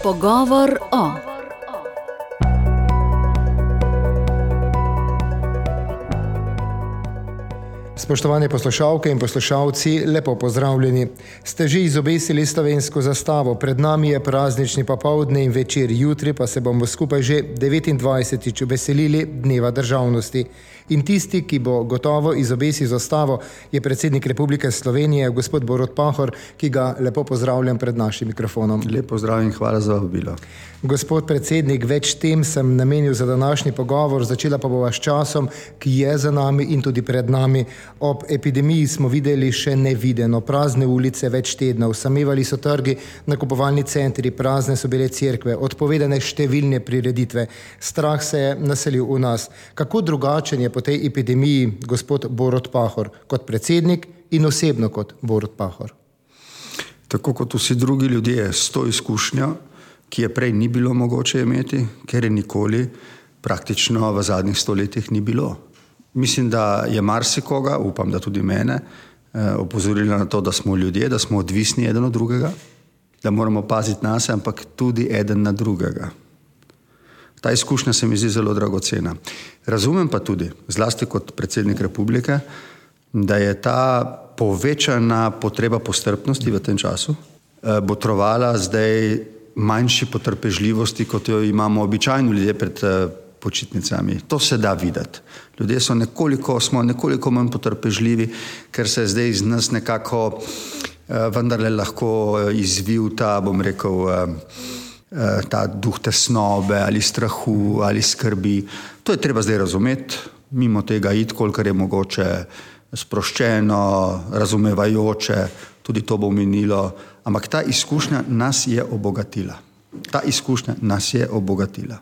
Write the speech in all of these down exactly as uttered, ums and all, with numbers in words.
Pogovor o. Spoštovane poslušalke in poslušalci, lepo pozdravljeni. Ste že izobesili slovensko zastavo, pred nami je praznični popoldne in večer, jutri pa se bomo skupaj že devetindvajsetič veselili Dneva državnosti. In tisti, ki bo gotovo izobesil zastavo, je predsednik Republike Slovenije, gospod Borut Pahor, ki ga lepo pozdravljam pred našim mikrofonom. Lep pozdrav in hvala za vabilo. Gospod predsednik, več tem sem namenil za današnji pogovor, začela pa bova s časom, ki je za nami in tudi pred nami. Ob epidemiji smo videli še nevideno, prazne ulice več tednov, samevali so trgi, nakupovalni centri, prazne so bile cerkve, odpovedane številne prireditve. Strah se je naselil v nas. Kako drugačen je po tej epidemiji gospod Borut Pahor, kot predsednik in osebno kot Borut Pahor? Tako kot vsi drugi ljudje s to izkušnjo, ki je prej ni bilo mogoče imeti, ker je nikoli praktično v zadnjih stoletjih ni bilo. Mislim, da je marsikoga, upam, da tudi mene, opozorila na to, da smo ljudje, da smo odvisni eden od drugega, da moramo paziti nase, ampak tudi eden na drugega. Ta izkušnja se mi zdi zelo dragocena. Razumem pa tudi, zlasti kot predsednik republike, da je ta povečana potreba po strpnosti v tem času botrovala zdaj manjši potrpežljivosti, kot jo imamo običajno ljudje pred počitnicami. To se da videti. Ljudje so nekoliko, smo nekoliko manj potrpežljivi, ker se je zdaj iz nas nekako vendarle lahko izvil ta, bom rekel, ta duh tesnobe ali strahu ali skrbi. To je treba zdaj razumeti, mimo tega iti, kolikor je mogoče sproščeno, razumevajoče, tudi to bo minilo, ampak ta izkušnja nas je obogatila. Ta izkušnja nas je obogatila.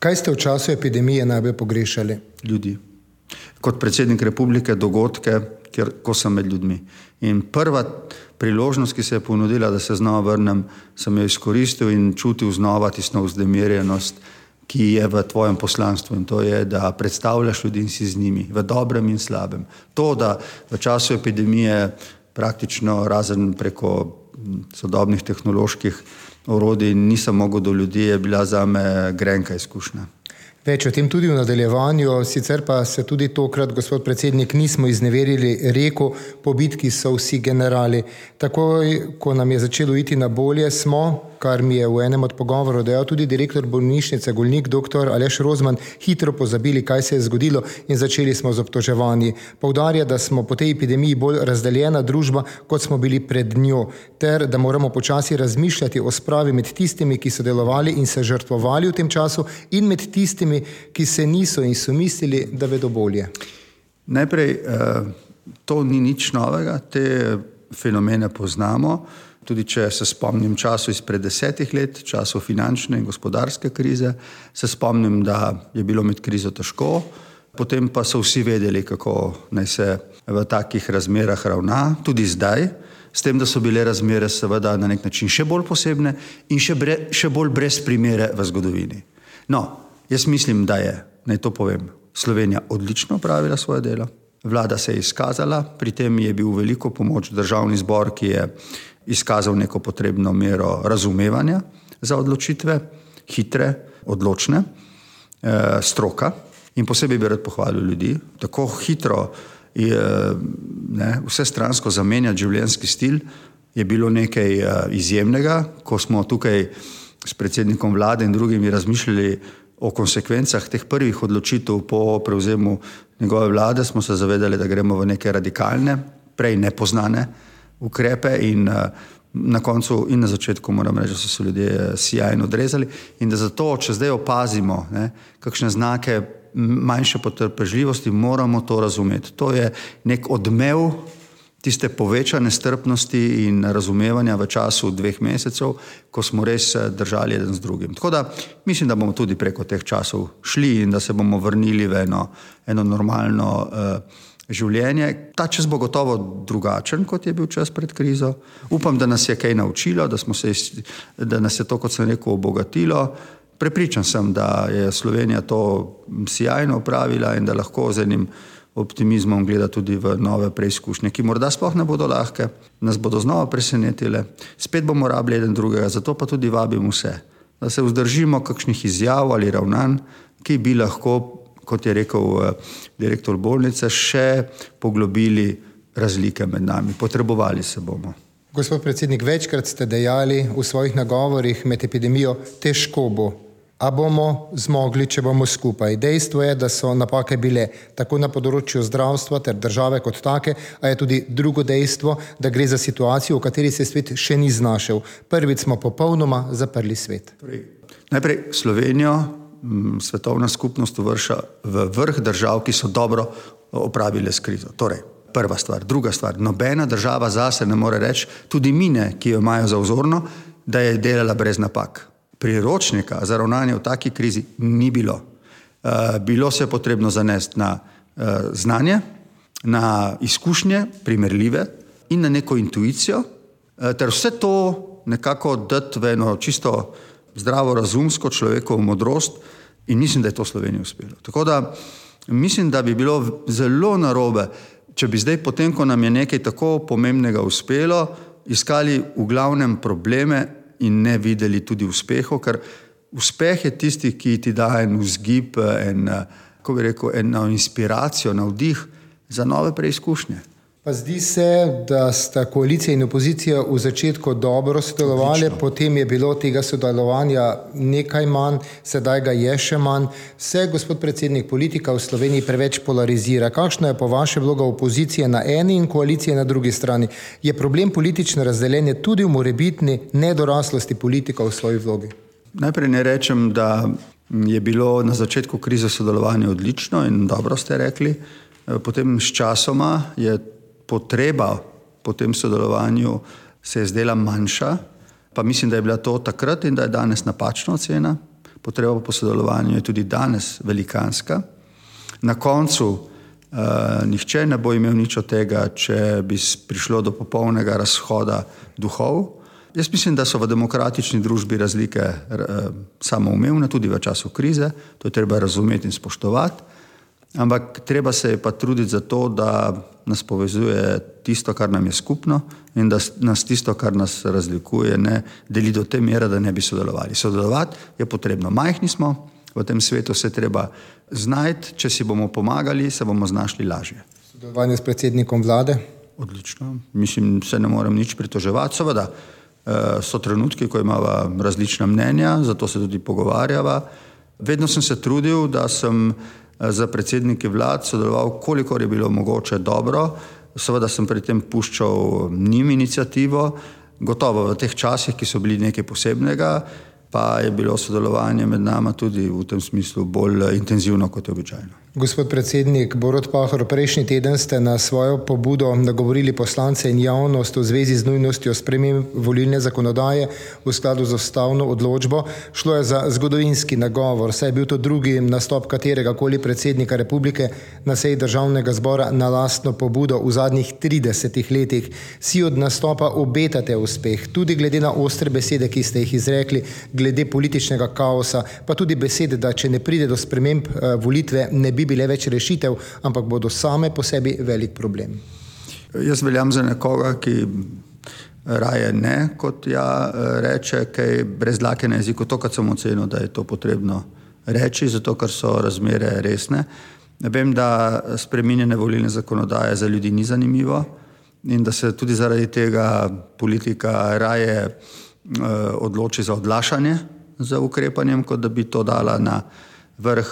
Kaj ste v času epidemije najbolj pogrešali? Ljudi. Kot predsednik republike dogodke, kjer, ko sem med ljudmi. In prva priložnost, ki se je ponudila, da se znova vrnem, sem jo izkoristil in čutil znova tisto vznemirjenost, ki je v tvojem poslanstvu, in to je, da predstavljaš ljudi in si z njimi, v dobrem in slabem. To, da v času epidemije praktično razen preko sodobnih tehnoloških orodij nisem mogel do ljudi, je bila zame grenka izkušnja. Več o tem tudi v nadaljevanju, sicer pa se tudi tokrat, gospod predsednik, nismo izneverili reku, po bitki so vsi generali. Takoj, ko nam je začelo iti na bolje, smo, kar mi je v enem od pogovorov dejal tudi direktor bolnišnice Golnik, doktor Aleš Rozman, hitro pozabili, kaj se je zgodilo in začeli smo z obtoževanji. Poudarja, da smo po tej epidemiji bolj razdeljena družba, kot smo bili pred njo, ter da moramo počasi razmišljati o spravi med tistimi, ki so delovali in se žrtvovali v tem času, in med tistimi, ki se niso in so mislili, da vedo bolje. Najprej, to ni nič novega, te fenomene poznamo. Tudi če se spomnim času izpred desetih let, času finančne in gospodarske krize, se spomnim, da je bilo med krizo težko, potem pa so vsi vedeli, kako naj se v takih razmerah ravna, tudi zdaj, s tem, da so bile razmere seveda na nek način še bolj posebne in še, bre, še bolj brez primere v zgodovini. No, jaz mislim, da je, naj to povem, Slovenija odlično opravila svoje delo, vlada se je izkazala, pri tem je bil veliko pomoč državni zbor, ki je izkazal neko potrebno mero razumevanja za odločitve, hitre, odločne, e, stroka, in posebej bi rad pohvalil ljudi, tako hitro je, ne, vse stransko zamenjati življenjski stil je bilo nekaj e, izjemnega, ko smo tukaj s predsednikom vlade in drugimi razmišljali o konsekvencah teh prvih odločitev po prevzemu njegove vlade, smo se zavedali, da gremo v neke radikalne, prej nepoznane ukrepe in na koncu in na začetku moram reči, da so se ljudje sijajno odrezali in da zato, če zdaj opazimo, ne, kakšne znake manjše potrpežljivosti, moramo to razumeti. To je nek odmev tiste povečane strpnosti in razumevanja v času dveh mesecev, ko smo res držali eden z drugim. Tako da mislim, da bomo tudi preko teh časov šli in da se bomo vrnili v eno, eno normalno uh, življenje. Ta čas bo gotovo drugačen, kot je bil čas pred krizo. Upam, da nas je kaj naučilo, da, smo se, da nas je to, kot sem rekel, obogatilo. Prepričan sem, da je Slovenija to sijajno opravila in da lahko z enim optimizmom gleda tudi v nove preizkušnje, ki morda sploh ne bodo lahke, nas bodo znova presenetile. Spet bomo rabili eden drugega, zato pa tudi vabim vse. da se vzdržimo kakšnih izjav ali ravnanj, ki bi lahko, kot je rekel direktor bolnice, še poglobili razlike med nami. Potrebovali se bomo. Gospod predsednik, večkrat ste dejali v svojih nagovorih med epidemijo, težko bo. A bomo zmogli, če bomo skupaj. Dejstvo je, da so napake bile tako na področju zdravstva ter države kot take, a je tudi drugo dejstvo, da gre za situacijo, v kateri se svet še ni znašel. Prvič smo popolnoma zaprli svet. Najprej Slovenijo svetovna skupnost uvršča v vrh držav, ki so dobro opravile s krizo. Torej, prva stvar. Druga stvar. Nobena država zase ne more reči, tudi mine, ki jo imajo za vzorno, da je delala brez napak. Priročnika za ravnanje v taki krizi ni bilo. Uh, bilo se je potrebno zanesti na uh, znanje, na izkušnje, primerljive in na neko intuicijo, uh, ter vse to nekako dati v eno čisto zdravo, razumsko človekovo modrost in mislim, da je to Sloveniji uspelo. Tako da mislim, da bi bilo zelo narobe, če bi zdaj potem, ko nam je nekaj tako pomembnega uspelo, iskali v glavnem probleme in ne videli tudi uspehov, ker uspeh je tisti, ki ti da en vzgib, en, kako bi rekel, eno inspiracijo, navdih za nove preizkušnje. Pa zdi se, da sta koalicija in opozicija v začetku dobro sodelovali, Odlično. Potem je bilo tega sodelovanja nekaj manj, sedaj ga je še manj. Se, gospod predsednik, politika v Sloveniji preveč polarizira. Kakšna je po vaše vloga opozicije na eni in koalicije na drugi strani? Je problem politične razdeljenje tudi v morebitni nedoraslosti politika v svoji vlogi? Najprej ne rečem, da je bilo na začetku krize sodelovanje odlično in dobro ste rekli. Potem s časoma je potreba po tem sodelovanju se je zdela manjša, pa mislim, da je bila to takrat in da je danes napačna ocena. Potreba po sodelovanju je tudi danes velikanska. Na koncu uh, nihče ne bo imel nič od tega, če bi prišlo do popolnega razhoda duhov. Jaz mislim, da so v demokratični družbi razlike uh, samoumevne, tudi v času krize, to je treba razumeti in spoštovati. Ampak treba se je pa truditi za to, da nas povezuje tisto, kar nam je skupno in da nas tisto, kar nas razlikuje, ne deli do te mere, da ne bi sodelovali. Sodelovati je potrebno. Majhni smo, v tem svetu se treba znajti, če si bomo pomagali, se bomo znašli lažje. Sodelovanje s predsednikom vlade? Odlično. Mislim, se ne moram nič pritoževati. Seveda so trenutki, ko imava različna mnenja, zato se tudi pogovarjava. Vedno sem se trudil, da sem za predsednike vlad sodeloval, kolikor je bilo mogoče dobro. Seveda sem pri tem puščal njim inicijativo, gotovo v teh časih, ki so bili nekaj posebnega, pa je bilo sodelovanje med nama tudi v tem smislu bolj intenzivno, kot je običajno. Gospod predsednik Borut Pahor, prejšnji teden ste na svojo pobudo nagovorili poslance in javnost v zvezi z nujnostjo sprememb volilne zakonodaje v skladu z ustavno odločbo. Šlo je za zgodovinski nagovor, saj je bil to drugi nastop katerega koli predsednika republike na seji državnega zbora na lastno pobudo v zadnjih tridesetih letih. Si od nastopa obetate uspeh, tudi glede na ostre besede, ki ste jih izrekli, glede političnega kaosa, pa tudi besede, da če ne pride do sprememb volitve, ne bi bile več rešitev, ampak bodo same po sebi velik problem. Jaz veljam za nekoga, ki raje ne, kot ja reče, kaj brez dlake na jeziku, to, kad sem ocenil, da je to potrebno reči, zato, ker so razmere resne. Vem, da spreminjanje volilne zakonodaje za ljudi ni zanimivo in da se tudi zaradi tega politika raje odloči za odlašanje za ukrepanjem, kot da bi to dala na vrh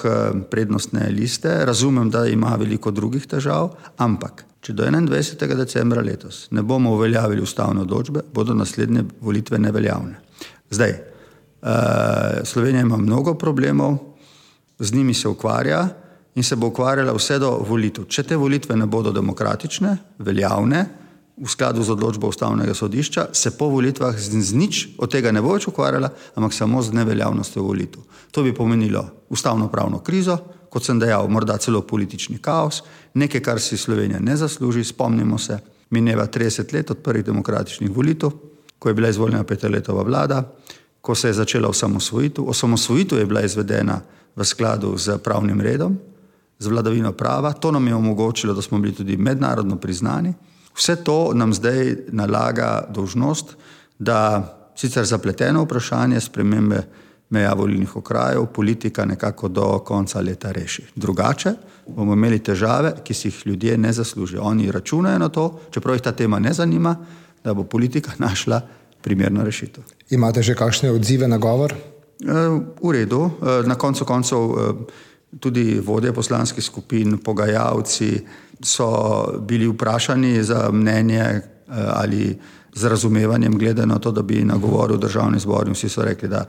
prednostne liste. Razumem, da ima veliko drugih težav, ampak če do enaindvajsetega decembra letos ne bomo uveljavili ustavne odločbe, bodo naslednje volitve neveljavne. Zdaj, Slovenija ima mnogo problemov, z njimi se ukvarja in se bo ukvarjala vse do volitev. Če te volitve ne bodo demokratične, veljavne, v skladu z odločbo ustavnega sodišča, se po volitvah z, z nič od tega ne bo več ukvarjala, ampak samo z neveljavnostjo volitev. To bi pomenilo ustavno-pravno krizo, kot sem dejal, morda celo politični kaos, nekaj, kar si Slovenija ne zasluži. Spomnimo se, mineva trideset let od prvih demokratičnih volitev, ko je bila izvoljena Peterletova vlada, ko se je začela osamosvojitev. Osamosvojitev je bila izvedena v skladu z pravnim redom, z vladavino prava. To nam je omogočilo, da smo bili tudi mednarodno priznani. Vse to nam zdaj nalaga dolžnost, da sicer zapleteno vprašanje spremembe meja volilnih okrajev politika nekako do konca leta reši. Drugače bomo imeli težave, ki si jih ljudje ne zaslužijo. Oni računajo na to, čeprav jih ta tema ne zanima, da bo politika našla primerno rešitev. Imate že kakšne odzive na govor? V redu. Na koncu koncev tudi vodje poslanskih skupin, pogajalci so bili vprašani za mnenje ali z razumevanjem glede na to, da bi nagovoril državni zbor, in vsi so rekli, da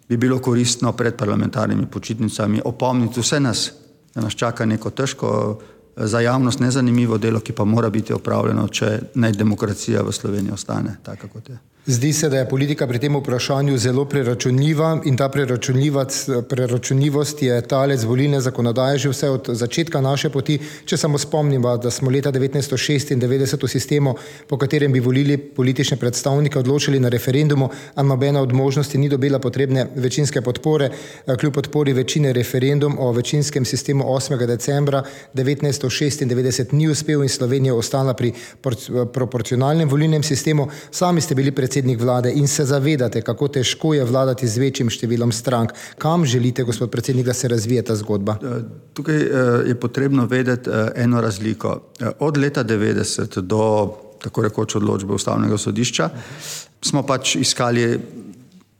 bi bilo koristno pred parlamentarnimi počitnicami opomniti vse nas, da nas čaka neko težko, za javnost nezanimivo delo, ki pa mora biti opravljeno, če naj demokracija v Sloveniji ostane taka, kot je. Zdi se, da je politika pri tem vprašanju zelo preračunljiva in ta preračunljivost je talec volilne zakonodaje že vse od začetka naše poti. Če samo spomnimo, da smo leta devetnajststo šestindevetdeset v sistemu, po katerem bi volili politične predstavnike, odločili na referendumu, a nobena od možnosti ni dobila potrebne večinske podpore. Kljub podpori večine referendum o večinskem sistemu osmega decembra devetnajststo šestindevetdeset ni uspel in Slovenija ostala pri proporcionalnem volilnem sistemu. Sami ste bili predsednik vlade in se zavedate, kako težko je vladati z večjim številom strank. Kam želite, gospod predsednik, da se razvije ta zgodba? Tukaj je potrebno vedeti eno razliko. Od leta devetdeset do tako rekoč odločbe Ustavnega sodišča smo pač iskali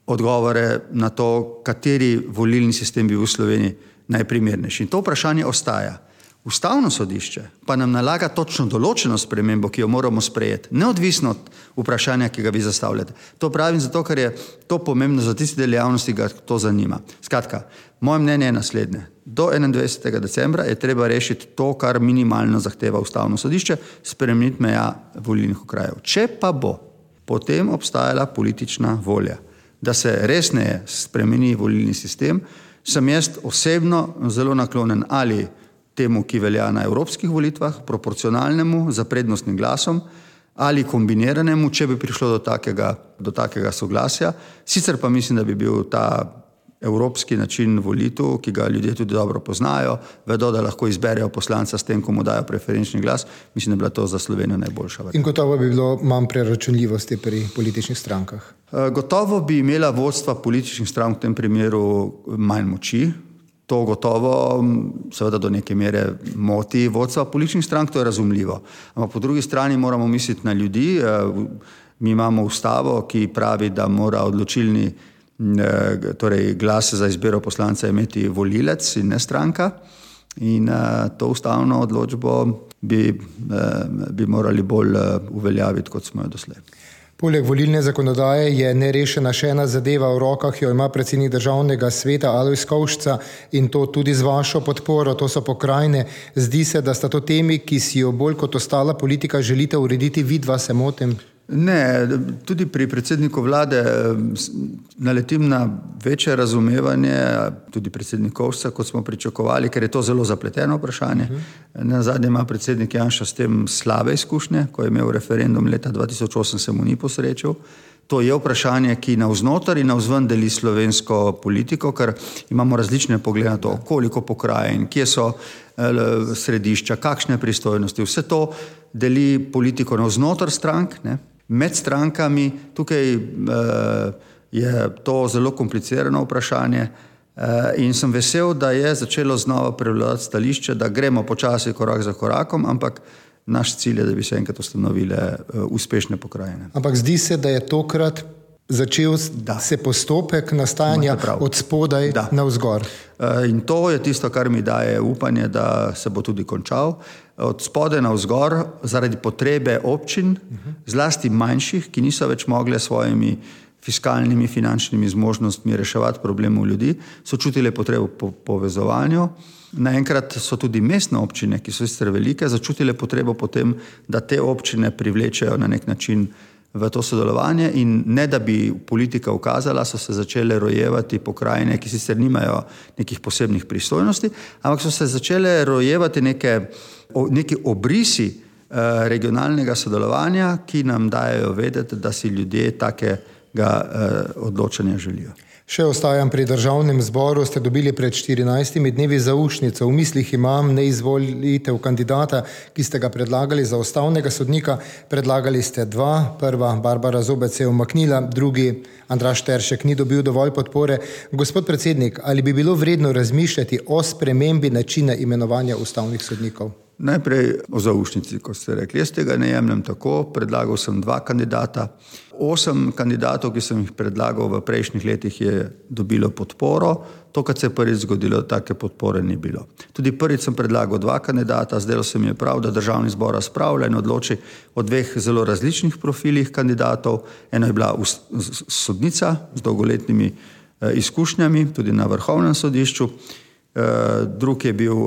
odgovore na to, kateri volilni sistem bi v Sloveniji najprimernejši. In to vprašanje ostaja. Ustavno sodišče pa nam nalaga točno določeno spremembo, ki jo moramo sprejeti, neodvisno od vprašanja, ki ga vi zastavljate. To pravim zato, ker je to pomembno za tisti del javnosti, ga to zanima. Skratka, moje mnenje je naslednje. Do enaindvajsetega decembra je treba rešiti to, kar minimalno zahteva Ustavno sodišče, spremeniti meja volilnih okrajev. Če pa bo potem obstajala politična volja, da se resneje spremeni volilni sistem, sem jaz osebno zelo naklonjen ali temu, ki velja na evropskih volitvah, proporcionalnemu, za prednostnim glasom, ali kombiniranemu, če bi prišlo do takega, do takega soglasja. Sicer pa mislim, da bi bil ta evropski način volitev, ki ga ljudje tudi dobro poznajo, vedo, da lahko izberejo poslanca s tem, ko mu dajo preferenčni glas, mislim, da bi bila to za Slovenijo najboljša varianta. In gotovo bi bilo manj preračunljivosti pri političnih strankah? Gotovo bi imela vodstva političnih strank v tem primeru manj moči. To gotovo seveda do neke mere moti vodstva političnih strank, to je razumljivo. Ampak po drugi strani moramo misliti na ljudi. Mi imamo ustavo, ki pravi, da mora odločilni torej glas za izbiro poslanca imeti volilec in ne stranka. In to ustavno odločbo bi, bi morali bolj uveljaviti, kot smo jo doslej. Poleg volilne zakonodaje je nerešena še ena zadeva v rokah, jo ima predsednik Državnega sveta Alojz Kovšca, in to tudi z vašo podporo, to so pokrajine. Zdi se, da sta to temi, ki si jo bolj kot ostala politika želite urediti, vidva, se motim? Ne, tudi pri predsedniku vlade naletim na večje razumevanje, tudi predsednik Kovšca, kot smo pričakovali, ker je to zelo zapleteno vprašanje. Nazadnje ima predsednik Janša s tem slabe izkušnje, ko je imel referendum leta dva tisoč osem, se mu ni posrečil. To je vprašanje, ki navznoter in navzven deli slovensko politiko, ker imamo različne poglede na to, koliko pokrajin, kje so središča, kakšne pristojnosti. Vse to deli politiko navznoter strank, ne? Med strankami. Tukaj eh, je to zelo komplicirano vprašanje eh, in sem vesel, da je začelo znova prevladati stališče, da gremo počasi korak za korakom, ampak naš cilj je, da bi se enkrat ustanovile uh, uspešne pokrajine. Ampak zdi se, da je tokrat začel da. se postopek nastajanja od spodaj da. navzgor. Uh, in to je tisto, kar mi daje upanje, da se bo tudi končal. Od spodaj navzgor, zaradi potrebe občin, uh-huh. zlasti manjših, ki niso več mogle svojimi fiskalnimi, finančnimi zmožnostmi reševati problemov ljudi, so čutile potrebo po povezovanju. Naenkrat so tudi mestne občine, ki so sicer velike, začutile potrebo potem, da te občine privlečejo na nek način v to sodelovanje, in ne da bi politika ukazala, so se začele rojevati pokrajine, ki sicer nimajo nekih posebnih pristojnosti, ampak so se začele rojevati neke, neki obrisi regionalnega sodelovanja, ki nam dajejo vedeti, da si ljudje take odločanja želijo. Še ostajam pri državnem zboru, ste dobili pred štirinajstimi dnevi zaušnico. V mislih imam neizvolitev kandidata, ki ste ga predlagali za ustavnega sodnika. Predlagali ste dva, prva Barbara Zobec se je umaknila, drugi Andraž Teršek ni dobil dovolj podpore. Gospod predsednik, ali bi bilo vredno razmišljati o spremembi načina imenovanja ustavnih sodnikov? Najprej o zaušnici, kot ste rekli. Jaz tega ne jemljem tako, predlagal sem dva kandidata. Osem kandidatov, ki sem jih predlagal v prejšnjih letih, je dobilo podporo. To, kar se je prvič zgodilo, take podpore ni bilo. Tudi prvič sem predlagal dva kandidata, zdelo se mi je prav, da Državni zbor razpravlja in odloči o dveh zelo različnih profilih kandidatov. Eno je bila sodnica z dolgoletnimi izkušnjami, tudi na Vrhovnem sodišču. Drug je bil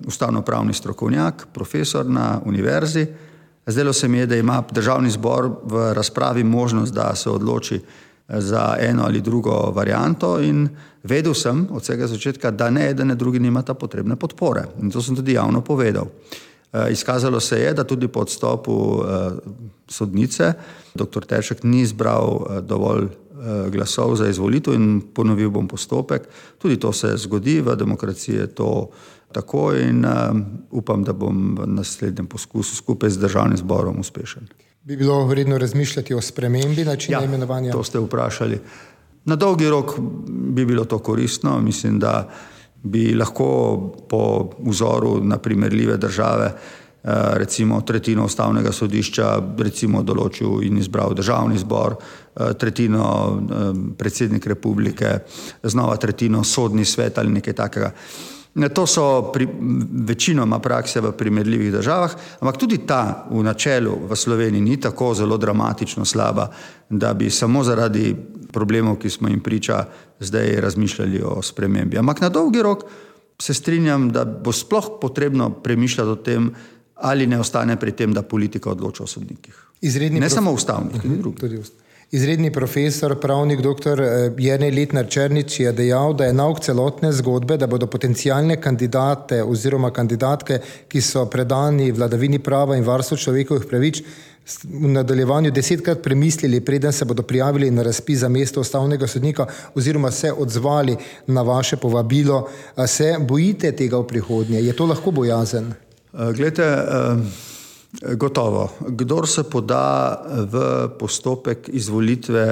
ustavnopravni strokovnjak, profesor na univerzi. Zdelo se mi je, da ima Državni zbor v razpravi možnost, da se odloči za eno ali drugo varianto in vedel sem od vsega začetka, da ne eden ne drugi nimata potrebne podpore. In to sem tudi javno povedal. Izkazalo se je, da tudi po odstopu sodnice doktor Teršek ni zbral dovolj glasov za izvolitev in ponovil bom postopek. Tudi to se zgodi, v demokraciji je to tako in um, upam, da bom v naslednjem poskusu skupaj z Državnim zborom uspešen. Bi bilo vredno razmišljati o spremembi načina ja, imenovanja? To ste vprašali. Na dolgi rok bi bilo to koristno. Mislim, da bi lahko po vzoru na primerljive države recimo tretjino ustavnega sodišča recimo določil in izbral Državni zbor, tretjino predsednik republike, znova tretjino sodni svet ali nekaj takega. To so pri, večinoma prakse v primerljivih državah, ampak tudi ta v načelu v Sloveniji ni tako zelo dramatično slaba, da bi samo zaradi problemov, ki smo jim priča, zdaj razmišljali o spremembi. Ampak na dolgi rok se strinjam, da bo sploh potrebno premišljati o tem, ali ne ostane pri tem, da politika odloča o sodnikih. Izredni ne prof... samo ustavnih, tudi drugih. Tudi Izredni profesor, pravnik doktor Jernej Letnar Černič je dejal, da je nauk celotne zgodbe, da bodo potencialne kandidate oziroma kandidatke, ki so predani vladavini prava in varstvu človekovih pravic, v nadaljevanju desetkrat premislili, preden se bodo prijavili na razpis za mesto ustavnega sodnika oziroma se odzvali na vaše povabilo. Se bojite tega v prihodnje? Je to lahko bojazen? Glejte, gotovo. Kdor se poda v postopek izvolitve,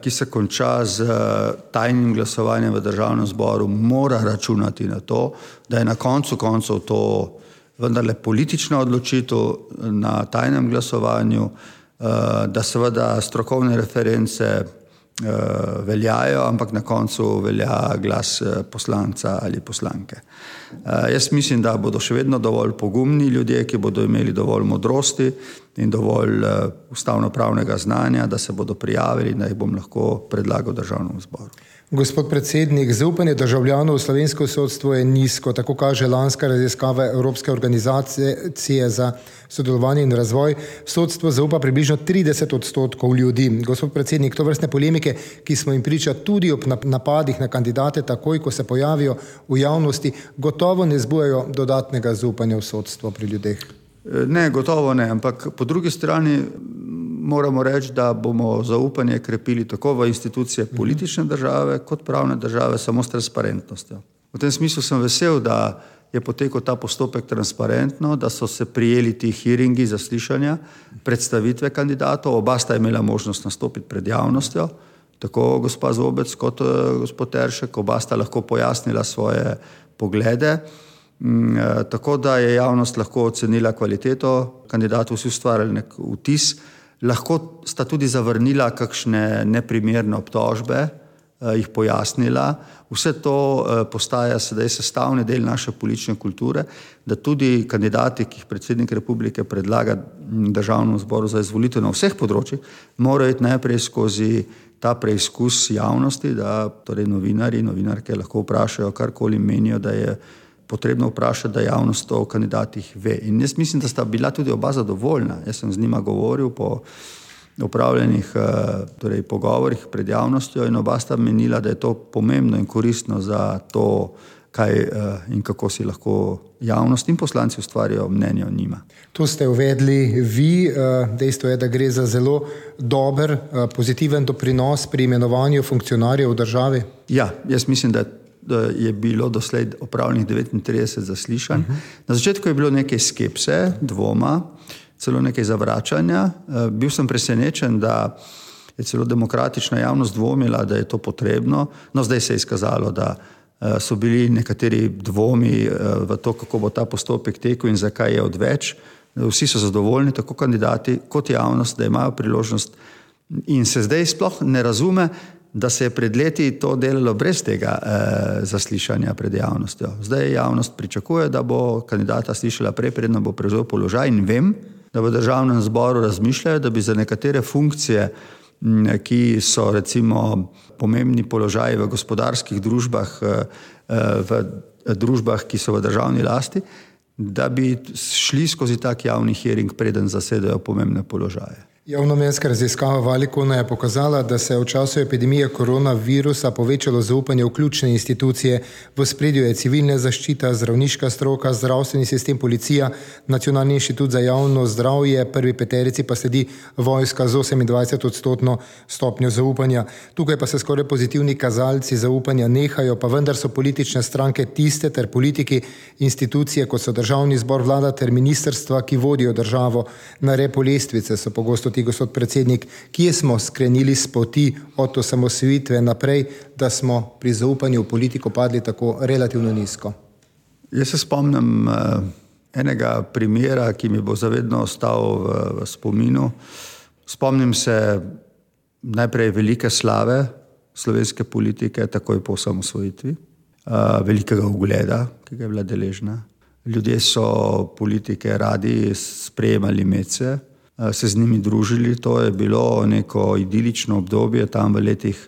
ki se konča z tajnim glasovanjem v Državnem zboru, mora računati na to, da je na koncu koncev to vendarle politična odločitev na tajnem glasovanju, da seveda strokovne reference veljajo, ampak na koncu velja glas poslanca ali poslanke. Jaz mislim, da bodo še vedno dovolj pogumni ljudje, ki bodo imeli dovolj modrosti in dovolj ustavnopravnega znanja, da se bodo prijavili, da jih bom lahko predlagal Državnemu zboru. Gospod predsednik, zaupanje državljanov v slovensko sodstvo je nizko, tako kaže lanska raziskava Evropske organizacije za sodelovanje in razvoj. Sodstvo zaupa približno trideset odstotkov ljudi. Gospod predsednik, to vrstne polemike, ki smo jim priča tudi ob napadih na kandidate, takoj, ko se pojavijo v javnosti, gotovo ne zbujajo dodatnega zaupanja v sodstvo pri ljudeh. Ne, gotovo ne, ampak po drugi strani moramo reči, da bomo zaupanje krepili tako v institucije politične države kot pravne države samo s transparentnostjo. V tem smislu sem vesel, da je potekel ta postopek transparentno, da so se prijeli ti hearingi, zaslišanja, predstavitve kandidatov, oba sta imela možnost nastopiti pred javnostjo, tako gospa Zobec kot gospod Teršek, oba sta lahko pojasnila svoje poglede, tako da je javnost lahko ocenila kvaliteto kandidatov, si ustvarjali nek vtis. Lahko sta tudi zavrnila kakšne neprimerne obtožbe, jih pojasnila. Vse to postaja sedaj sestavni del naše politične kulture, da tudi kandidati, ki jih predsednik republike predlaga Državnemu zboru za izvolitev na vseh področjih, morajo iti najprej skozi ta preizkus javnosti, da torej novinarji in novinarke lahko vprašajo, karkoli menijo, da je potrebno vprašati, da javnost o kandidatih ve. In jaz mislim, da sta bila tudi oba zadovoljna. Jaz sem z njima govoril po opravljenih torej, pogovorih pred javnostjo in oba sta menila, da je to pomembno in koristno za to kaj in kako si lahko javnost in poslanci ustvarjajo mnenje o njima. To ste uvedli vi. Dejstvo je, da gre za zelo dober, pozitiven doprinos pri imenovanju funkcionarjev v državi. Ja, jaz mislim, da je bilo doslej opravljenih devetintrideset zaslišanj. Uh-huh. Na začetku je bilo nekaj skepse, dvoma, celo nekaj zavračanja. Bil sem presenečen, da je celo demokratična javnost dvomila, da je to potrebno. No, zdaj se je izkazalo, da so bili nekateri dvomi v to, kako bo ta postopek tekel in zakaj je odveč. Vsi so zadovoljni, tako kandidati kot javnost, da imajo priložnost in se zdaj sploh ne razume, da se je pred leti to delalo brez tega eh, zaslišanja pred javnostjo. Zdaj javnost pričakuje, da bo kandidata slišala prej, predno bo prevzel položaj in vem, da v državnem zboru razmišljajo, da bi za nekatere funkcije, ki so recimo pomembni položaji v gospodarskih družbah, v družbah, ki so v državni lasti, da bi šli skozi tak javni hearing, preden zasedajo pomembne položaje. Javnomnenjska raziskava Valicona je pokazala, da se je v času epidemije koronavirusa povečalo zaupanje v ključne institucije. V ospredju je civilna zaščita, zdravniška stroka, zdravstveni sistem, policija, Nacionalni inštitut za javno zdravje, prvi peterici pa sledi vojska z osemindvajset odstotno stopnjo zaupanja. Tukaj pa se skoraj pozitivni kazalci zaupanja nehajo, pa vendar so politične stranke tiste ter politiki, institucije, kot so državni zbor, vlada ter ministrstva, ki vodijo državo na repu lestvice, so pogosto ti, gospod predsednik. Kje smo skrenili s poti od osamosvojitve naprej, da smo pri zaupanju v politiko padli tako relativno nizko? Jaz se spomnim enega primera, ki mi bo zavedno ostal v, v spominu. Spomnim se najprej velike slave slovenske politike, takoj po osamosvojitvi, velikega ugleda, ki ga je bila deležna. Ljudje so politike radi sprejemali medse, se z njimi družili. To je bilo neko idilično obdobje tam v letih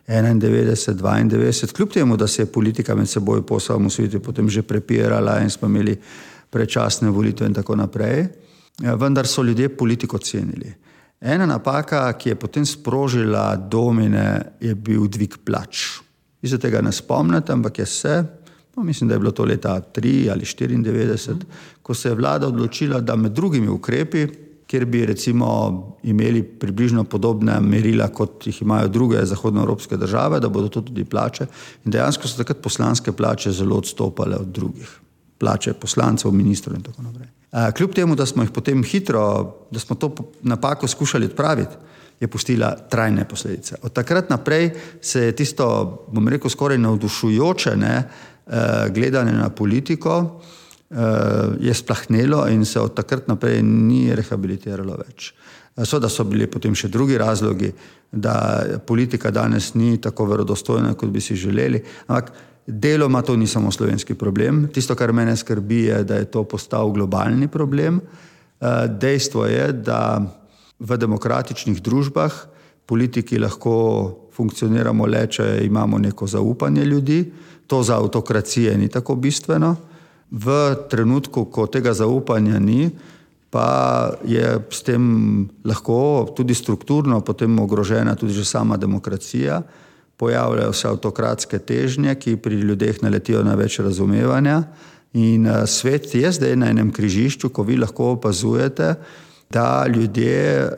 enaindevetdeset, dvaindevetdeset, kljub temu, da se je politika med seboj po osamosvojitvi potem že prepirala in smo imeli predčasne volitve in tako naprej, vendar so ljudje politiko cenili. Ena napaka, ki je potem sprožila domine, je bil dvig plač. Vi se tega ne spomnite, ampak jaz se, no, mislim, da je bilo to leta tri ali štiriindevetdeset, mm. ko se je vlada odločila, da med drugimi ukrepi, kjer bi recimo imeli približno podobne merila, kot jih imajo druge zahodnoevropske države, da bodo to tudi plače. In dejansko so takrat poslanske plače zelo odstopale od drugih. Plače poslancev, ministrov in tako naprej. Kljub temu, da smo jih potem hitro, da smo to napako skušali odpraviti, je pustila trajne posledice. Od takrat naprej se je tisto, bom rekel, skoraj navdušujoče ne, gledanje na politiko je splahnelo in se od takrat naprej ni rehabilitiralo več. Seveda so bili potem še drugi razlogi, da politika danes ni tako verodostojna, kot bi si želeli, ampak deloma to ni samo slovenski problem. Tisto, kar mene skrbi, je, da je to postal globalni problem. Dejstvo je, da v demokratičnih družbah politiki lahko funkcioniramo le, če imamo neko zaupanje ljudi. To za avtokracije ni tako bistveno. V trenutku, ko tega zaupanja ni, pa je s tem lahko tudi strukturno potem ogrožena tudi že sama demokracija. Pojavljajo se avtokratske težnje, ki pri ljudeh naletijo na več razumevanja. In svet je zdaj na enem križišču, ko vi lahko opazujete, da ljudje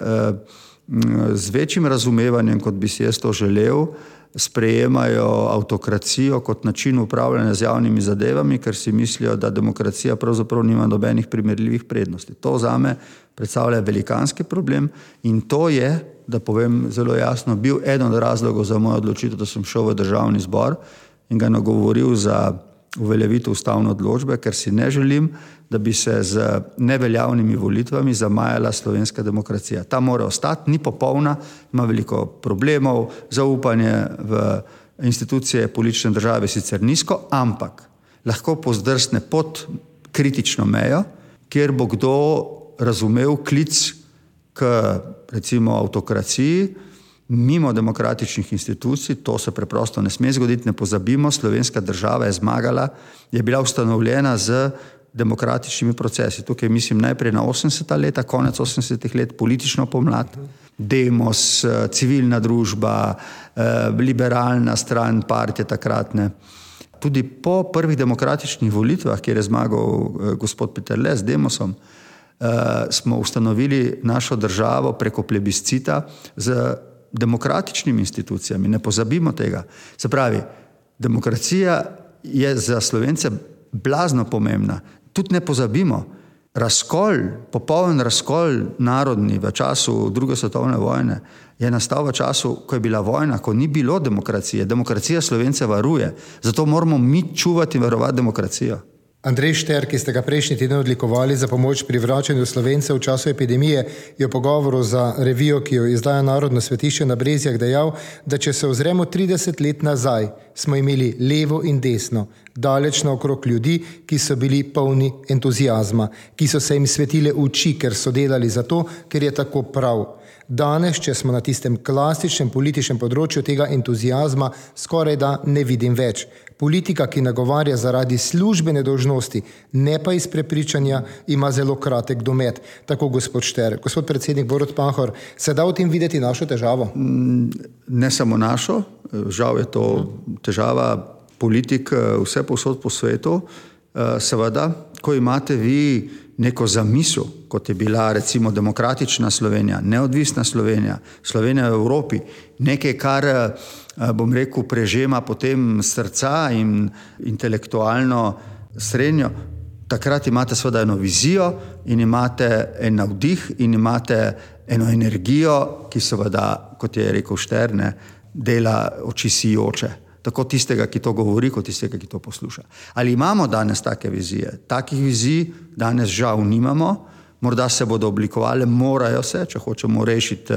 z večjim razumevanjem, kot bi si jaz to želel, sprejemajo avtokracijo kot način upravljanja z javnimi zadevami, ker si mislijo, da demokracija pravzaprav nima nobenih primerljivih prednosti. To zame predstavlja velikanski problem in to je, da povem zelo jasno, bil eden od razlogov za mojo odločitev, da sem šel v državni zbor in ga nagovoril za uveljavitev ustavne odločbe, ker si ne želim, da bi se z neveljavnimi volitvami zamajala slovenska demokracija. Ta mora ostati, ni popolna, ima veliko problemov, zaupanje v institucije politične države sicer nizko, ampak lahko pozdrsne pod kritično mejo, kjer bo kdo razumel klic k recimo avtokraciji, mimo demokratičnih institucij. To se preprosto ne sme zgoditi. Ne pozabimo, slovenska država je zmagala, je bila ustanovljena z demokratičnimi procesi. Tukaj mislim najprej na osemdeseta leta, konec osemdesetih let, politično pomlad, demos, civilna družba, liberalna stran partije takratne. tudi po prvih demokratičnih volitvah, kjer je zmagal gospod Peterle z Demosom, smo ustanovili našo državo preko plebiscita z demokratičnimi institucijami. Ne pozabimo tega. Se pravi, demokracija je za Slovence blazno pomembna. Tudi ne pozabimo, razkol, popoln razkol narodni v času druge svetovne vojne je nastal v času, ko je bila vojna, ko ni bilo demokracije. Demokracija Slovence varuje. Zato moramo mi čuvati in varovati demokracijo. Andrej Šter, ki ste ga prejšnji teden odlikovali za pomoč pri vračanju Slovencev v času epidemije, je v pogovoru za revijo, ki jo izdaja Narodno svetišče na Brezjah, dejal, da če se ozremo trideset let nazaj, smo imeli levo in desno, daleč naokrog ljudi, ki so bili polni entuzijazma, ki so se jim svetile oči, ker so delali zato, ker je tako prav. Danes, če smo na tistem klasičnem političnem področju, tega entuzijazma skoraj da ne vidim več. Politika, ki nagovarja zaradi službene dolžnosti, ne pa iz prepričanja, ima zelo kratek domet. Tako gospod Šter. Gospod predsednik Borut Pahor, se da v tem videti našo težavo? Ne samo našo, žal je to težava politik vse povsod po svetu. Seveda, ko imate vi neko zamisel, kot je bila recimo demokratična Slovenija, neodvisna Slovenija, Slovenija v Evropi, nekaj, kar, bom rekel, prežema potem srca in intelektualno srednjo, takrat imate seveda eno vizijo in imate en navdih in imate eno energijo, ki seveda, kot je rekel Šterne, dela oči sijoče. Tako tistega, ki to govori, kot tistega, ki to posluša. Ali imamo danes take vizije? Takih vizij danes žal nimamo, morda se bodo oblikovale, morajo se, če hočemo rešiti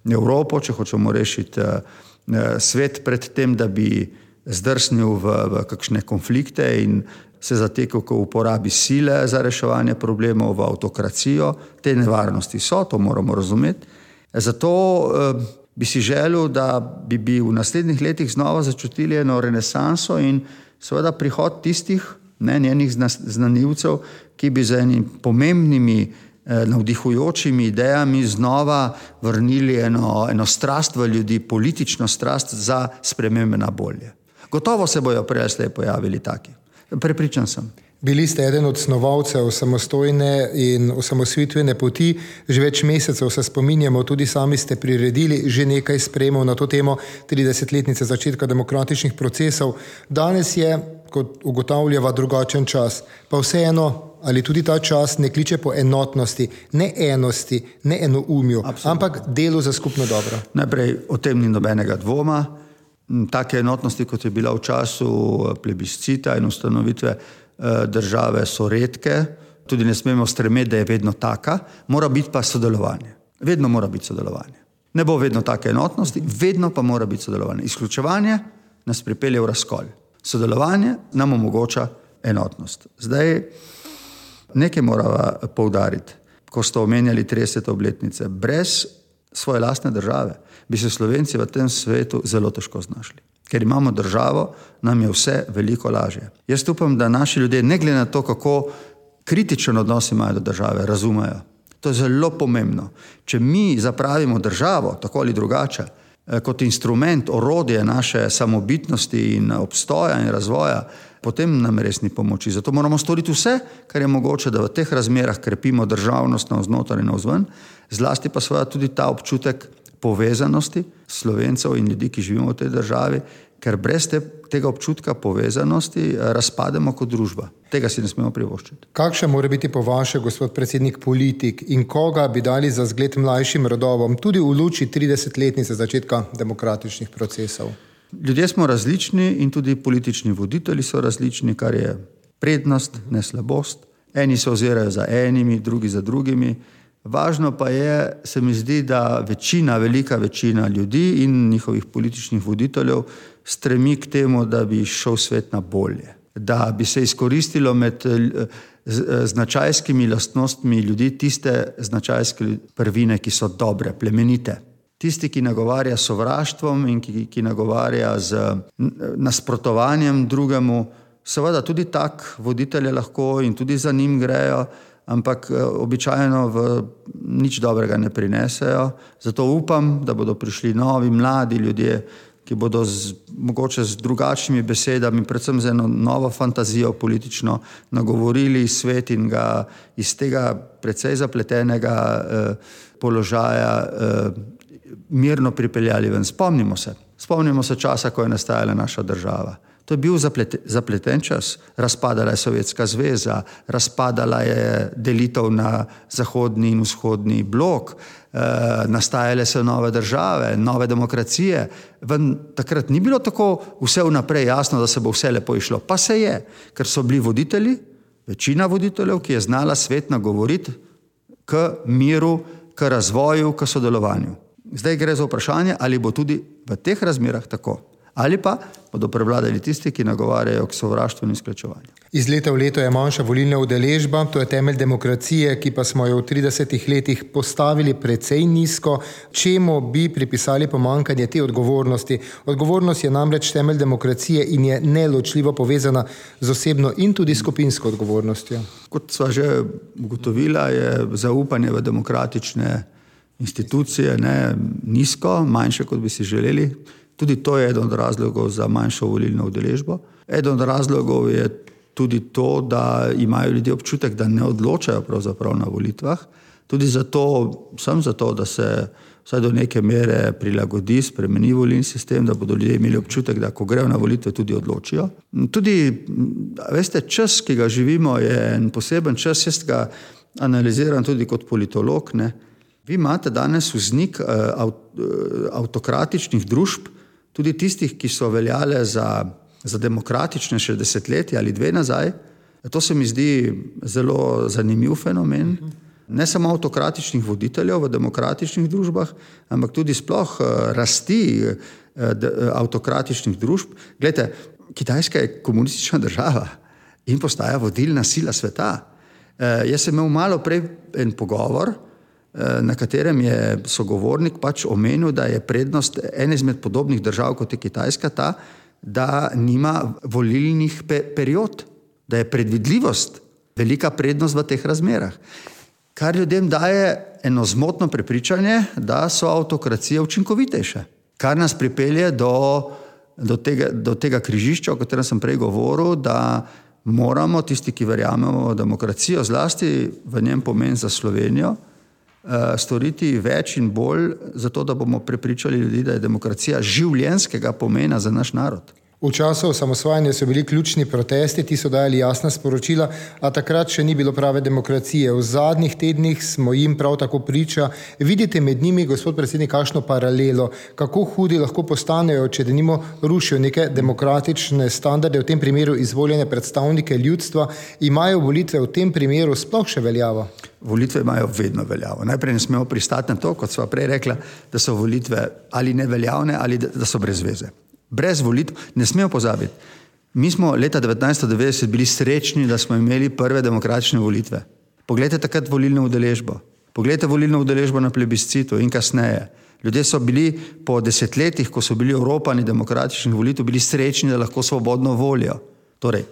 Evropo, če hočemo rešiti svet pred tem, da bi zdrsnil v, v kakšne konflikte in se zatekel k uporabi sile za reševanje problemov, v avtokracijo. Te nevarnosti so, to moramo razumeti. Zato bi si želel, da bi, bi v naslednjih letih znova začutili eno renesanso in seveda prihod tistih, ne, njenih znanilcev, ki bi z enimi pomembnimi, eh, navdihujočimi idejami znova vrnili eno, eno strast v ljudi, politično strast za spremembe na bolje. Gotovo se bojo prej slej pojavili taki. Prepričan sem. Bili ste eden od snovalcev samostojne in osamosvojitvene poti. Že več mesecev se spominjamo, tudi sami ste priredili že nekaj sprejemov na to temo tridesetletnice začetka demokratičnih procesov. Danes je, kot ugotavljava, drugačen čas. Pa vseeno, ali tudi ta čas ne kliče po enotnosti, ne enosti, ne enoumju, ampak delu za skupno dobro. Najprej o tem ni nobenega dvoma. Take enotnosti, kot je bila v času plebiscita in ustanovitve države, so redke, tudi ne smemo stremeti, da je vedno taka, mora biti pa sodelovanje. Vedno mora biti sodelovanje. Ne bo vedno take enotnosti, vedno pa mora biti sodelovanje. Izključevanje nas pripelje v razkol. Sodelovanje nam omogoča enotnost. Zdaj, nekaj morava poudariti, ko ste omenjali tridesete obletnice. Brez svoje lastne države bi se Slovenci v tem svetu zelo težko znašli. Ker imamo državo, nam je vse veliko lažje. Jaz upam, da naši ljudje, ne glede na to, kako kritičen odnos imajo do države, razumejo. To je zelo pomembno. Če mi zapravimo državo, tako ali drugače, kot instrument, orodje naše samobitnosti in obstoja in razvoja, potem nam res ni pomoči. Zato moramo storiti vse, kar je mogoče, da v teh razmerah krepimo državnost navznoter in navzven, zlasti pa seveda tudi ta občutek povezanosti Slovencev in ljudi, ki živimo v tej državi, ker brez te, tega občutka povezanosti razpademo kot družba. Tega si ne smemo privoščiti. Kakšen mora biti po vaše, gospod predsednik, politik in koga bi dali za zgled mlajšim rodovom, tudi v luči tridesetletnice začetka demokratičnih procesov? Ljudje smo različni in tudi politični voditelji so različni, kar je prednost, ne slabost. Eni se ozirajo za enimi, drugi za drugimi. Važno pa je, se mi zdi, da večina, velika večina ljudi in njihovih političnih voditeljev stremi k temu, da bi šel svet na bolje. Da bi se izkoristilo med značajskimi lastnostmi ljudi tiste značajske prvine, ki so dobre, plemenite. Tisti, ki nagovarja sovraštvom in ki, ki nagovarja z nasprotovanjem drugemu, seveda tudi tak voditelj je lahko in tudi za njim grejo, ampak običajno v nič dobrega ne prinesejo. Zato upam, da bodo prišli novi, mladi ljudje, ki bodo z, mogoče z drugačnimi besedami, predvsem z eno novo fantazijo politično nagovorili svet in ga iz tega precej zapletenega eh, položaja eh, mirno pripeljali ven. Spomnimo se, spomnimo se časa, ko je nastajala naša država. To je bil zaplete, zapleten čas. Razpadala je Sovjetska zveza, razpadala je delitev na zahodni in vzhodni blok, e, nastajale so nove države, nove demokracije. Ven, takrat ni bilo tako vse vnaprej jasno, da se bo vse lepo išlo. Pa se je, ker so bili voditelji, večina voditeljev, ki je znala svet nagovoriti k miru, k razvoju, k sodelovanju. Zdaj gre za vprašanje, ali bo tudi v teh razmerah tako. Ali pa bodo prevladali tisti, ki nagovarjajo k sovraštvu in izključevanju. Iz leta v leto je manjša volilna udeležba, to je temelj demokracije, ki pa smo jo v tridesetih letih postavili precej nizko. Čemu bi pripisali pomanjkanje te odgovornosti? Odgovornost je namreč temelj demokracije in je neločljivo povezana z osebno in tudi skupinsko odgovornostjo. Kot sva že ugotovila, je zaupanje v demokratične institucije ne, nizko, manjše, kot bi si želeli. Tudi to je eden od razlogov za manjšo volilno udeležbo. Eden od razlogov je tudi to, da imajo ljudje občutek, da ne odločajo pravzaprav na volitvah. Tudi zato, sem zato, da se vsaj do neke mere prilagodi, spremeni volilni sistem, da bodo ljudje imeli občutek, da ko grejo na volitve, tudi odločijo. Tudi, veste, čas, ki ga živimo, je en poseben čas, jaz ga analiziram tudi kot politolog. Ne. Vi imate danes vznik avtokratičnih družb, tudi tistih, ki so veljale za, za demokratične še desetletje ali dve nazaj. To se mi zdi zelo zanimiv fenomen. Ne samo avtokratičnih voditeljev v demokratičnih družbah, ampak tudi sploh rasti avtokratičnih družb. Glejte, Kitajska je komunistična država in postaja vodilna sila sveta. Jaz sem imel malo prej en pogovor, na katerem je sogovornik pač omenil, da je prednost ene izmed podobnih držav, kot je Kitajska, ta, da nima volilnih pe- period, da je predvidljivost velika prednost v teh razmerah. Kar ljudem daje eno zmotno prepričanje, da so avtokracije učinkovitejše. Kar nas pripelje do, do, tega, do tega križišča, o katerem sem prej govoril, da moramo, tisti, ki verjamemo v demokracijo, zlasti v njem pomen za Slovenijo, storiti več in bolj za to, da bomo prepričali ljudi, da je demokracija življenjskega pomena za naš narod. V času osamosvajanja so bili ključni protesti, ti so dajali jasna sporočila, a takrat še ni bilo prave demokracije. V zadnjih tednih smo jim prav tako priča. Vidite med njimi, gospod predsednik, kakšno paralelo, kako hudi lahko postanejo, če denimo rušijo neke demokratične standarde, v tem primeru izvoljene predstavnike ljudstva, imajo volitve v tem primeru sploh še veljavo? Volitve imajo vedno veljavo. Najprej ne smemo pristati na to, kot sva prej rekla, da so volitve ali neveljavne ali da so brez veze. Brez volitev, ne smemo pozabiti. Mi smo leta devetnajststo devetdeset bili srečni, da smo imeli prve demokratične volitve. Poglejte takrat volilno udeležbo. Poglejte volilno udeležbo na plebiscitu in kasneje. Ljudje so bili po desetletjih, ko so bili Evropani demokratičnih volitev, bili srečni, da lahko svobodno volijo. Torej,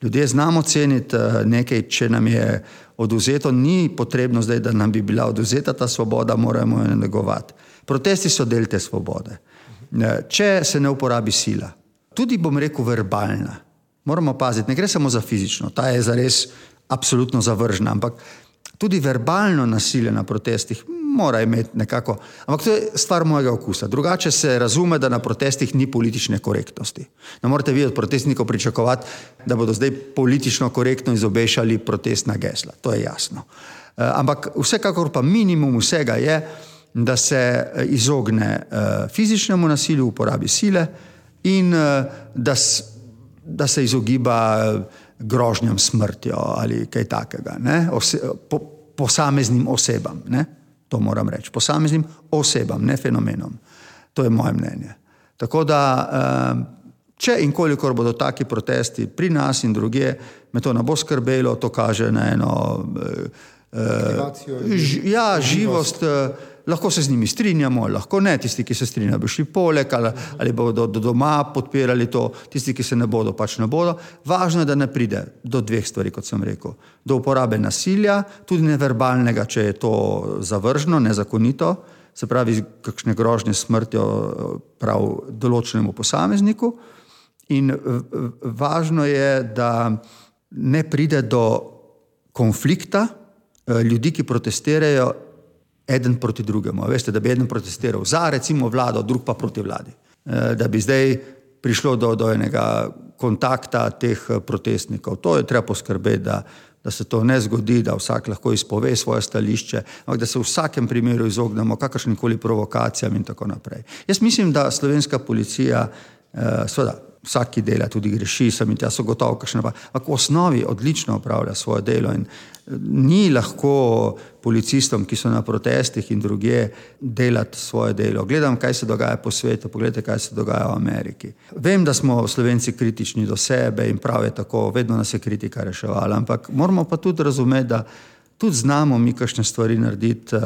ljudje znamo ceniti nekaj, če nam je oduzeto, ni potrebno zdaj, da nam bi bila oduzeta ta svoboda, moramo jo negovati. Protesti so del te svobode. Če se ne uporabi sila, tudi bom rekel verbalna, moramo paziti, ne gre samo za fizično, ta je zares absolutno zavržna, ampak tudi verbalno nasilje na protestih mora imeti nekako, ampak to je stvar mojega okusa. Drugače se razume, da na protestih ni politične korektnosti. Ne morate vi od protestnikov pričakovati, da bodo zdaj politično korektno izobešali protestna gesla, to je jasno. Ampak vsekakor pa minimum vsega je, da se izogne uh, fizičnemu nasilju, uporabi sile in uh, da, s, da se izogiba grožnjam smrtjo ali kaj takega, ne? Ose, po, posameznim osebam, ne? To moram reči, posameznim osebam, ne fenomenom. To je moje mnenje. Tako da, uh, če in kolikor bodo taki protesti pri nas in drugje, me to ne bo skrbelo, to kaže na eno uh, ž, ja, živost, uh, lahko se z njimi strinjamo, lahko ne, tisti, ki se strinjajo, bi šli poleg ali, ali bodo do doma podpirali to, tisti, ki se ne bodo, pač ne bodo. Važno je, da ne pride do dveh stvari, kot sem rekel. Do uporabe nasilja, tudi neverbalnega, če je to zavržno, nezakonito, se pravi kakšne grožnje smrtjo prav določenemu posamezniku. In važno je, da ne pride do konflikta ljudi, ki protestirajo eden proti drugemu. Veste, da bi eden protestiral za recimo vlado, drug pa proti vladi. Da bi zdaj prišlo do, do enega kontakta teh protestnikov. To je treba poskrbeti, da, da se to ne zgodi, da vsak lahko izpove svoje stališče, ampak da se v vsakem primeru izognemo kakršnikoli provokacijam in tako naprej. Jaz mislim, da slovenska policija, eh, seveda, vsak, ki dela, tudi greši, sem in tja so gotovo kakšne, ampak v osnovi odlično opravlja svoje delo in ni lahko policistom, ki so na protestih in drugje, delati svoje delo. Gledam, kaj se dogaja po svetu, pogledajte, kaj se dogaja v Ameriki. Vem, da smo Slovenci kritični do sebe in prav je tako, vedno nas je kritika reševala, ampak moramo pa tudi razumeti, da tudi znamo mi kakšne stvari narediti uh,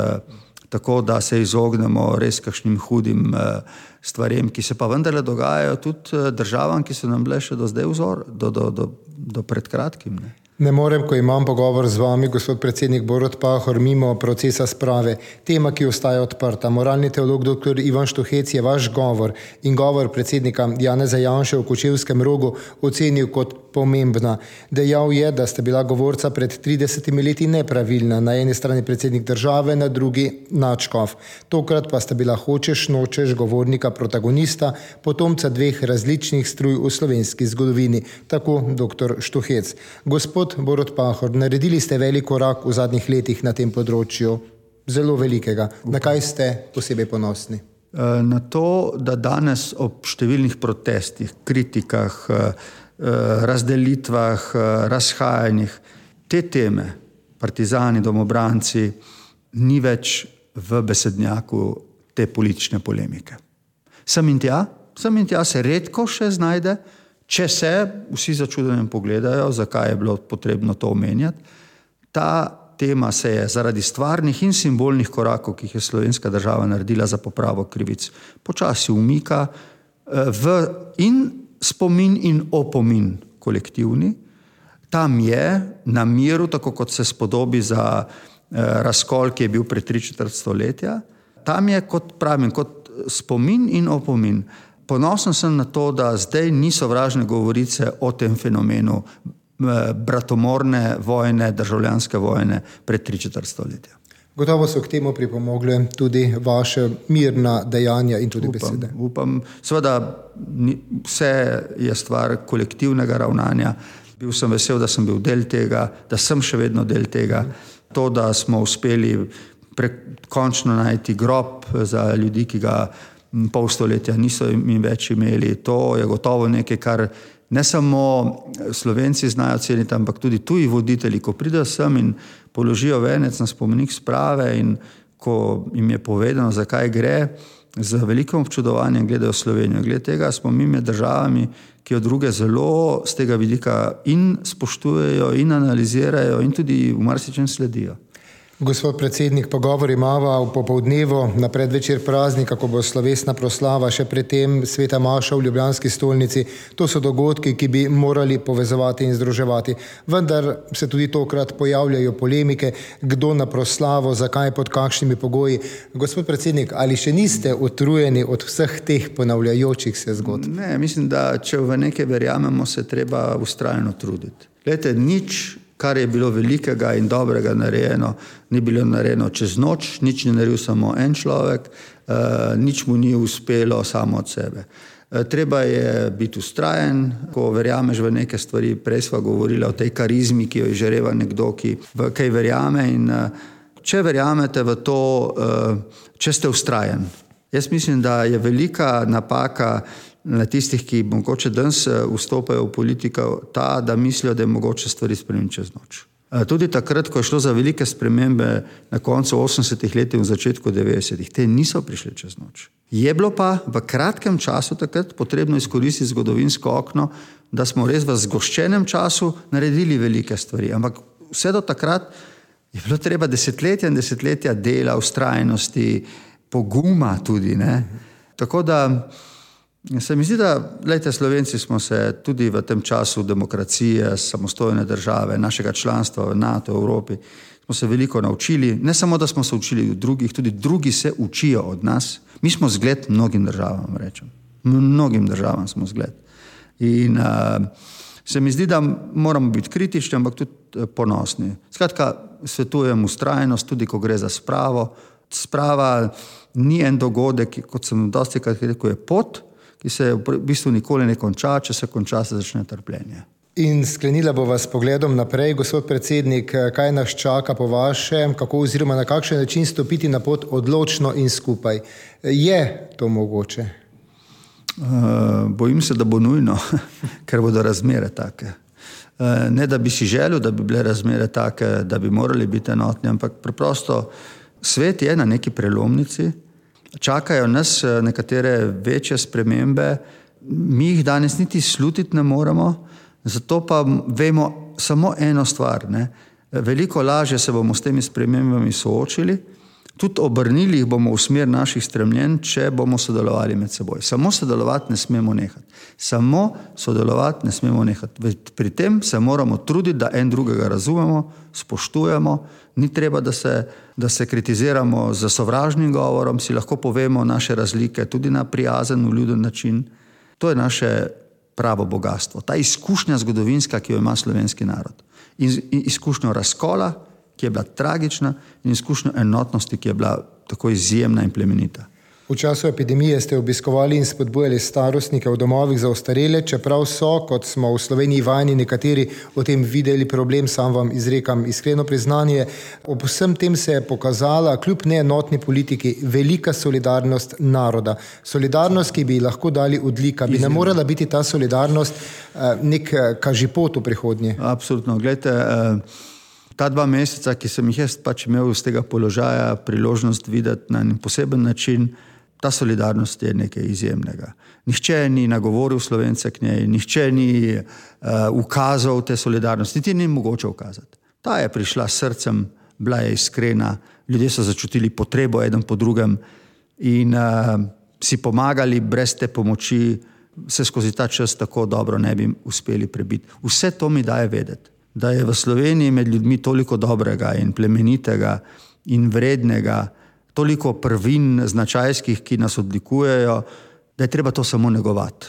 tako, da se izognemo res kakšnim hudim uh, stvarem, ki se pa vendarle dogajajo tudi uh, državam, ki so nam bile še do zdaj vzor, do, do, do, do pred kratkim. Ne? Ne morem, ko imam pogovor z vami, gospod predsednik Borut Pahor, mimo procesa sprave. Tema, ki ostaja odprta. Moralni teolog doktor Ivan Štuhec je vaš govor in govor predsednika Janeza Janše v Kočevskem Rogu ocenil kot pomembna. Dejal je, da sta bila govorca pred tridesetimi leti nepravilna. Na eni strani predsednik države, na drugi nadškof. Tokrat pa sta bila hočeš nočeš govornika protagonista, potomca dveh različnih struj v slovenski zgodovini. Tako doktor Štuhec. Gospod Borut Pahor, naredili ste velik korak v zadnjih letih na tem področju, zelo velikega. Na kaj ste posebej ponosni? Na to, da danes ob številnih protestih, kritikah, razdelitvah, razhajanjih, te teme, partizani, domobranci, ni več v besednjaku te politične polemike. Sem in tja, sem in tja se redko še znajde, če se vsi začudenjem pogledajo, zakaj je bilo potrebno to omenjati. Ta tema se je zaradi stvarnih in simbolnih korakov, ki jih je slovenska država naredila za popravo krivic, počasi umika v in spomin in opomin kolektivni. Tam je na miru, tako kot se spodobi za razkol, ki je bil pred tri četrt stoletja. Tam je, kot pravim, kot spomin in opomin. Ponosen sem na to, da zdaj niso vražne govorice o tem fenomenu bratomorne vojne, državljanske vojne pred tri četrt stoletja. Gotovo so k temu pripomogli tudi vaše mirna dejanja in tudi upam, besede. Upam, seveda vse je stvar kolektivnega ravnanja. Bil sem vesel, da sem bil del tega, da sem še vedno del tega. To, da smo uspeli končno najti grob za ljudi, ki ga pol stoletja niso jim več imeli. To je gotovo nekaj, kar ne samo Slovenci znajo ceniti, ampak tudi tuji voditelji, ko pridejo sem in položijo venec na spomenik sprave in ko jim je povedano, zakaj gre, z velikim občudovanjem gledajo Slovenijo. Glede tega smo mi med državami, ki jo druge zelo z tega vidika in spoštujejo in analizirajo in tudi v marsičem sledijo. Gospod predsednik, pogovor imava v popoldnevu na predvečer praznika, ko bo slovesna proslava, še predtem sveta maša v ljubljanski stolnici. To so dogodki, ki bi morali povezovati in združevati. Vendar se tudi tokrat pojavljajo polemike, kdo na proslavo, zakaj, pod kakšnimi pogoji. Gospod predsednik, ali še niste utrujeni od vseh teh ponavljajočih se zgodb? Ne, mislim, da če v nekaj verjamemo, se treba vztrajno truditi. Glejte, nič, kar je bilo velikega in dobrega narejeno, ni bilo narejeno čez noč, nič ni naredil samo en človek, uh, nič mu ni uspelo samo od sebe. Uh, treba je biti vztrajen, ko verjameš v neke stvari, prej sva govorila o tej karizmi, ki jo izžareva nekdo, ki v kaj verjame in uh, če verjamete v to, uh, če ste vztrajen. Jaz mislim, da je velika napaka na tistih, ki mogoče danes vstopajo v politiko, ta, da mislijo, da je mogoče stvari spremeniti čez noč. Tudi takrat, ko je šlo za velike spremembe na koncu osemdesetih let in v začetku devetdesetih, te niso prišle čez noč. Je bilo pa v kratkem času takrat potrebno izkoristiti zgodovinsko okno, da smo res v zgoščenem času naredili velike stvari. Ampak vse do takrat je bilo treba desetletja in desetletja dela, vztrajnosti, poguma tudi. Ne? Tako da Se mi zdi, da lejte, Slovenci smo se tudi v tem času demokracije, samostojne države, našega članstva v NATO, v Evropi, smo se veliko naučili. Ne samo, da smo se učili od drugih, tudi drugi se učijo od nas. Mi smo zgled mnogim državam, rečem. Mnogim državam smo zgled. In uh, se mi zdi, da moramo biti kritični, ampak tudi ponosni. Skratka, svetujem vztrajnost, tudi ko gre za spravo. Sprava ni en dogodek, kot sem dosti krat rekel, je pot, ki se v bistvu nikoli ne konča, če se konča, se začne trpljenje. In sklenila bo vas pogledom naprej, gospod predsednik, kaj nas čaka po vašem, kako oziroma na kakšen način stopiti na pot odločno in skupaj. Je to mogoče? Uh, bojim se, da bo nujno, ker bodo razmere take. Uh, ne, da bi si želel, da bi bile razmere take, da bi morali biti enotni, ampak preprosto svet je na neki prelomnici, čakajo nas nekatere večje spremembe, mi jih danes niti slutiti ne moremo, zato pa vemo samo eno stvar. Ne? Veliko lažje se bomo s temi spremembami soočili, tudi obrnili jih bomo v smer naših stremljenj, če bomo sodelovali med seboj. Samo sodelovati ne smemo nehati. Samo sodelovati ne smemo nehati. Pri tem se moramo truditi, da en drugega razumemo, spoštujemo, ni treba, da se, da se kritiziramo za sovražnim govorom, si lahko povemo naše razlike tudi na prijazen, vljuden način. To je naše pravo bogatstvo. Ta izkušnja zgodovinska, ki jo ima slovenski narod. In izkušnjo razkola, ki je bila tragična, in izkušnjo enotnosti, ki je bila tako izjemna in plemenita. V času epidemije ste obiskovali in spodbujali starostnike v domovih za ostarele, čeprav so, kot smo v Sloveniji vajeni nekateri o tem videli problem, sam vam izrekam iskreno priznanje. Ob vsem tem se je pokazala, kljub neenotni politiki, velika solidarnost naroda. Solidarnost, ki bi lahko dali odlika. Bi ne morala biti ta solidarnost nek kažipot v prihodnje? Absolutno. Glejte, ta dva meseca, ki sem jih jaz pač imel z tega položaja priložnost videti na poseben način, ta solidarnost je nekaj izjemnega. Nihče ni nagovoril Slovence k njej, nihče ni uh, ukazal te solidarnosti, niti ni mogoče ukazati. Ta je prišla s srcem, bila je iskrena, ljudje so začutili potrebo eden po drugem in uh, si pomagali, brez te pomoči se skozi ta čas tako dobro ne bi uspeli prebiti. Vse to mi daje vedeti, da je v Sloveniji med ljudmi toliko dobrega in plemenitega in vrednega, toliko prvin značajskih, ki nas odlikujejo, da je treba to samo negovati.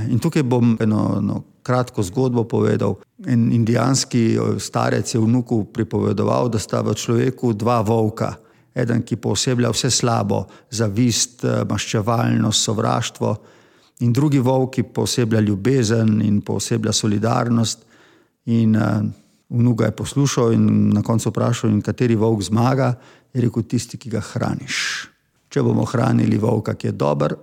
In tukaj bom eno, eno kratko zgodbo povedal. En indijanski starec je vnuku pripovedoval, da sta v človeku dva volka. Eden, ki pooseblja vse slabo, zavist, maščevalnost, sovraštvo, in drugi volk, ki pooseblja ljubezen in pooseblja solidarnost. In uh, vnuk ga je poslušal in na koncu vprašal, in kateri volk zmaga, je rekel tisti, ki ga hraniš. Če bomo hranili volka, ki je dober,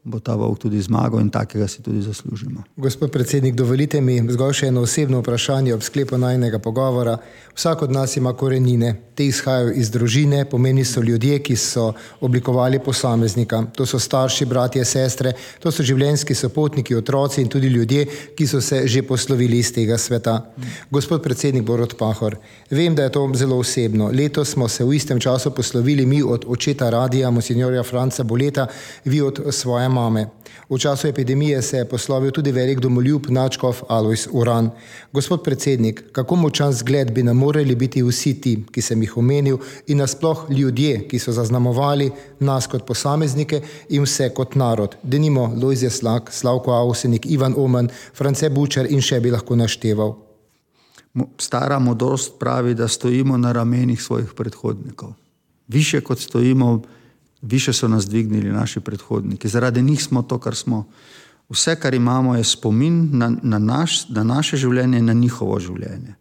bo ta volk tudi zmagal in takega si tudi zaslužimo. Gospod predsednik, dovolite mi zgolj še eno osebno vprašanje ob sklepu najinega pogovora. Vsak od nas ima korenine, te izhajajo iz družine, pomeni so ljudje, ki so oblikovali posameznika. To so starši, bratje, sestre, to so življenjski sopotniki, otroci in tudi ljudje, ki so se že poslovili iz tega sveta. Gospod predsednik Borut Pahor, vem, da je to zelo osebno. Letos smo se v istem času poslovili mi od očeta radija, monsinjorja Franca Boleta, vi od svoje mame. V času epidemije se je poslovil tudi velik domoljub nadškof Alojz Uran. Gospod predsednik, kako močan zgled bi nam morali biti vsi ti, ki sem jih omenil, in nasploh ljudje, ki so zaznamovali nas kot posameznike in vse kot narod. Denimo Lojzje Slak, Slavko Avsenik, Ivan Oman, France Bučar in še bi lahko našteval. Stara modrost pravi, da stojimo na ramenih svojih predhodnikov. Više kot stojimo, više so nas dvignili naši predhodniki. Zaradi njih smo to, kar smo. Vse, kar imamo, je spomin na, na, naš, na naše življenje in na njihovo življenje.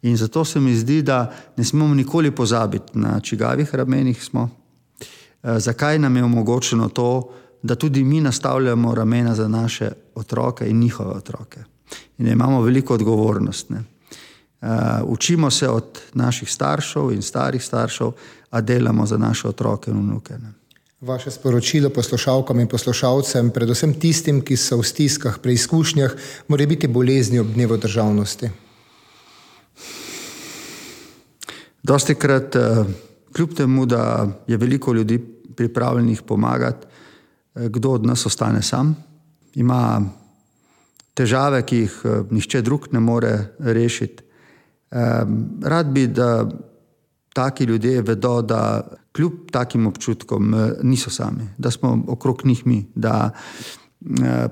In zato se mi zdi, da ne smemo nikoli pozabiti, na čigavih ramenih smo. E, zakaj nam je omogočeno to, da tudi mi nastavljamo ramena za naše otroke in njihove otroke. In imamo veliko odgovornost. Ne? E, učimo se od naših staršev in starih staršev, a delamo za naše otroke in vnuke. Ne? Vaše sporočilo poslušalkam in poslušalcem, predvsem tistim, ki so v stiskah, preizkušnjah, mora biti bolezni ob dnevu državnosti. Dostikrat, kljub temu, da je veliko ljudi pripravljenih pomagati, kdo od nas ostane sam, ima težave, ki jih nihče drug ne more rešiti. Rad bi, da taki ljudje vedo, da kljub takim občutkom niso sami, da smo okrog njih mi, da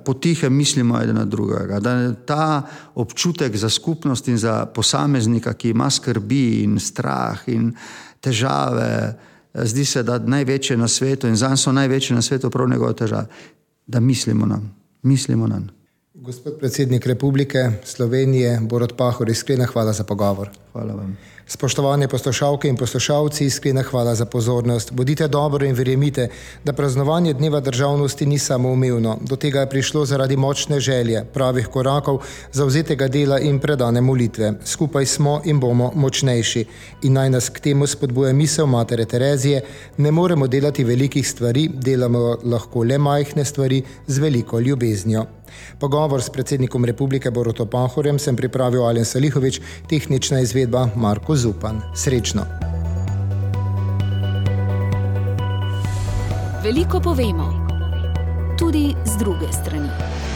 potihe mislimo eden na drugega, da ta občutek za skupnost in za posameznika, ki ima skrbi in strah in težave, zdi se, da največje na svetu in zanj so največje na svetu prav njegove težave, da mislimo nam, mislimo nam. Gospod predsednik Republike Slovenije, Borut Pahor, iskrena hvala za pogovor. Hvala vam. Spoštovane poslušalke in poslušalci, iskrena hvala za pozornost. Bodite dobro in verjemite, da praznovanje Dneva državnosti ni samoumevno. Do tega je prišlo zaradi močne želje, pravih korakov, zavzetega dela in predane molitve. Skupaj smo in bomo močnejši. In naj nas k temu spodbuja misel matere Terezije: ne moremo delati velikih stvari, delamo lahko le majhne stvari z veliko ljubeznijo. Pogovor s predsednikom Republike Borutom Pahorjem sem pripravil Alen Salihovič, tehnična izvedba Marko Zupan. Srečno! Veliko povemo, tudi z druge strani.